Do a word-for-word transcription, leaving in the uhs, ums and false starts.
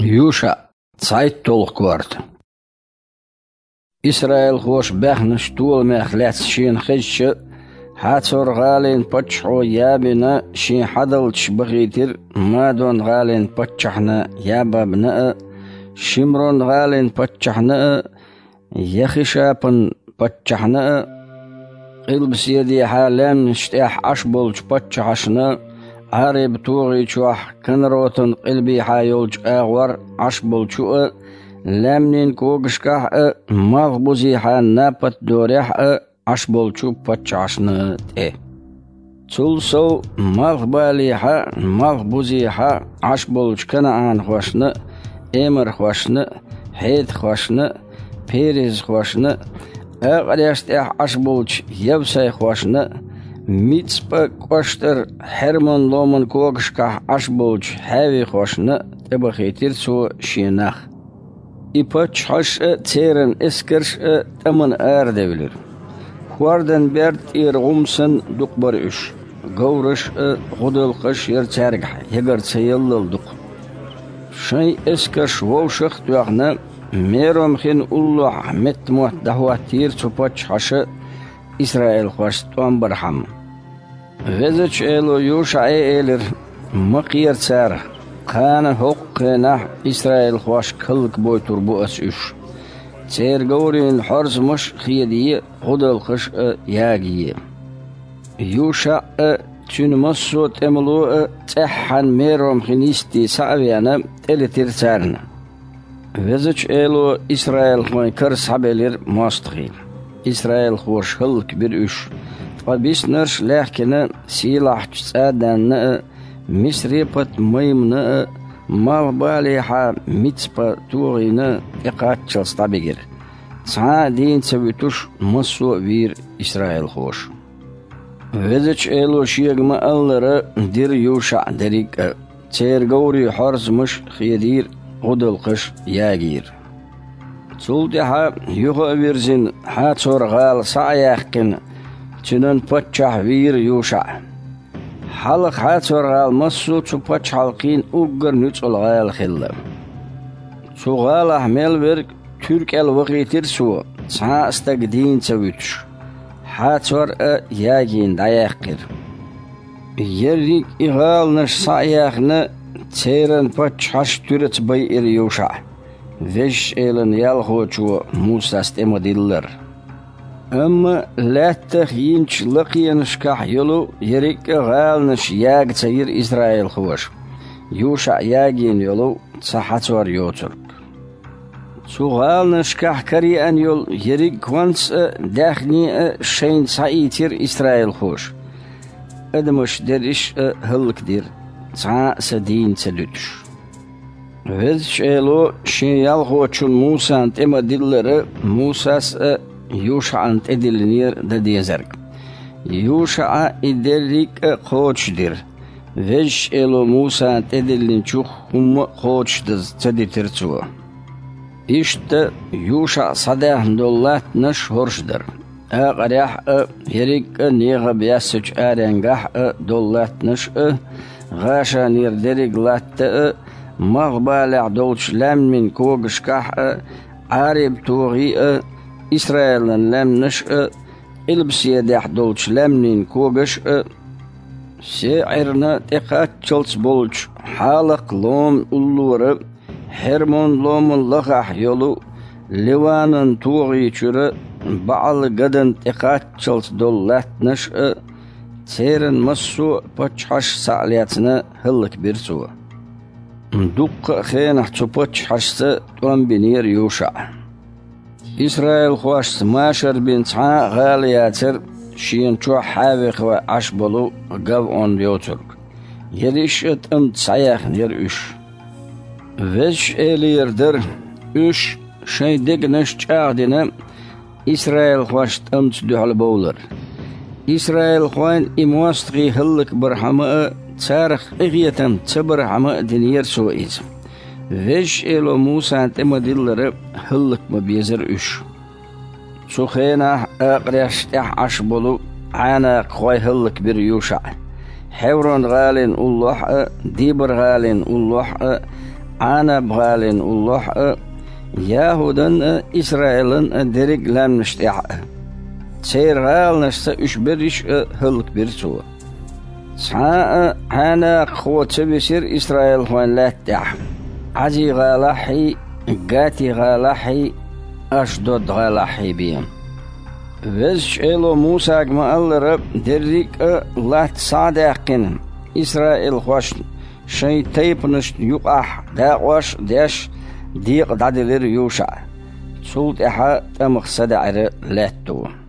ЮшаӀ, цхьайтталгӀа корта. Исраилхоша баьхначу толамех лаьцна шена хезча, Хьацор-гӀалин паччахьо Ябина шен хьадалчаш бахийтира Мадон-гӀалин паччахьна Ябабна а, Шимрон-гӀалин паччахьна а, Яхишапан паччахьна а, къилбаседехьа лаьмнаш тӀехь Ӏаш болчу паччахьашна, Ӏараб-тогӀи чохь Канаротан къилбехьа йолчу агӀор Ӏаш болчу а, лаьмнийн когашкахь а, малхбузехьа Напат-Дорехь а Ӏаш болчу паччахьашна тӀе. Цул сов, малхбалехьа, малхбузехьа Ӏаш болчу канаӀанхошна, эмархошна, хьетахошна, перезхошна, акъареш тӀехь Ӏаш болчу явсайхошна, Мицпа кӀоштара Хьермон-ломан когашкахь Ӏаш болчу хьавихошна тӀебахийтира цо шен нах. И паччахьаш а, церан эскарш а тӀамна арадевлира. ХӀордан берда тӀера гӀум санна дукха бара уьш, говраш а, гӀудалкхаш а яра цаьргахь ягар ца яллал дукха. Шайн эскарш вовшах а тоьхна, Мером хин уллохь меттамотт дӀахӀоттийра цу паччахьаша исраилхошца тӀом бархьама. Везачу Эло ЮшаӀе элира: «Ма кхера царах, кхана хӀокху хенахь исраилхошка хӀаллакбойтур бу ас уьш. Церан говрийн хьорзамаш а хедае, гӀудалкхаш а ягае». ЮшаӀ а, цуьнан массо а тӀемало а цӀеххьана Мером хин йисте схьа а веана, тӀелетира царна. Везачу Эло исраилхойн кара схьабелира мостагӀий. Исраилхоша хӀаллакбира уьш, ткъа биснарш а лаьхкина, сийлахьчу ЦӀаданна а, Мисрепат-Маймана а, малхбалехьа Мицпа-тогӀина а тӀекхаччалц дӀабигира. Цхьа а дийна ца вуьтуш, массо а вийра исраилхоша. Везачу Эло шега ма-аллара, дира ЮшаӀа дерриг а. Церан говрийн хьорзамаш а хедийра, гӀудалкхаш а ягийра. Цул тӀаьхьа, юха а вирзина, Хьацор-гӀала схьа а яьккхина, цуьнан паччахь вийра ЮшаӀ. Хьалха Хьацор-гӀала массо а цу пачхьалкхийн уггар нуьцкъала гӀала хилла. Цу гӀалахь мел верг туьра кӀел вахийтира цо, цхьа а стаг дийна ца вуьтуш. Хьацор а ягийна дӀаяьккхира. Ерриг и гӀаланаш схьа а яьхна, церан паччахьаш туьраца байира ЮшаӀ, Везачу Элан ялхочо Мусас тӀе ма-диллара. Амма лаьттах йинчу лакхенашкахь йолу ерриг а гӀаланаш яга ца йира исраилхоша, ЮшаӀ ягийна йолу цхьа Хьацор йоцург. Цу гӀаланашкахь караеана йолу ерриг а конца а, даьхни а шайна схьаийцира исраилхоша, адамаш дерриш а хӀаллакдира, цхьа а са дийна ца дуьтуш. Везачу Эло Шен ялхочун Мусана тӀе ма-диллара, Мусас а, ЮшаӀана тӀедиллинера дан дезарг. ЮшаӀа и дерриг а кхочушдира, Везачу Эло Мусана тӀедиллинчух хӀумма а кхочушдаза ца дитира цо. Иштта ЮшаӀа схьадаьхна долу латтанаш хӀорш дара. Акъарехь а, ерриг а НегӀаб яьссачу аренгахь а долу латтанаш а, ГӀашанера дерриг латта а, малхбалехь долчу лаьмнийн когашкахь а, Ӏараб-тогӀи а, Исраилан лаьмнаш а, къилбаседехь долчу лаьмнийн когаш а, СеӀирна тӀекхаччалц болчу Хьалакх-Ломан уллора, Хьермон-ломан лахахь йолу Ливанан тогӀи чуьра БаӀал-Гадан тӀекхаччалц долу латтанаш а, церан массо а паччахьаш схьа а лецна, хӀаллакбира цо. Дуккха а хенахь цу паччахьашца тӀом бинера ЮшаӀа. Исраилхошца машар бина цхьа а гӀала яцара шена чохь хьавихой Ӏаш болу ГавӀон йоцург. Ерриш а тӀамца схьаяьхнера уьш. Везачу Элера дара уьш, шайн дегнаш чӀагӀдина, исраилхошна тӀамца дуьхьал бовлар. Исраилхойн и мостагӀий хӀаллакбархьама а, царах къинхетам ца бархьама а динера цо иза. Везачу Эло Мусана тӀе ма-диллара, хӀаллак ма безара уьш. Цу хенахь акъареш тӀехь Ӏаш болу Ӏанакхой хӀаллакбира ЮшаӀа. Хьеврон-гӀалин уллохь а, Дибар-гӀалин уллохь а, Ӏанаб-гӀалин уллохь а, ЯхӀудан а, Исраилан а дерриг а лаьмнаш тӀехь а. Церан гӀаланашца уьш берриш а хӀаллакбира цо. Цхьа а Ӏаьнакхо ца висира исраилхойн лаьтта тӀехь, Ӏази-гӀалахьхьий, Гати-гӀалахьхьий, Ашдод-гӀалахьхьий бен. Везачу Эло Мусага ма-аллара, дерриг а латта схьа а даьккхина, исраилхошна шайн тайпанашна юкъахь дакъош а деш, декъа дӀаделира ЮшаӀ. Цул тӀаьхьа тӀамах садаӀира лаьтто.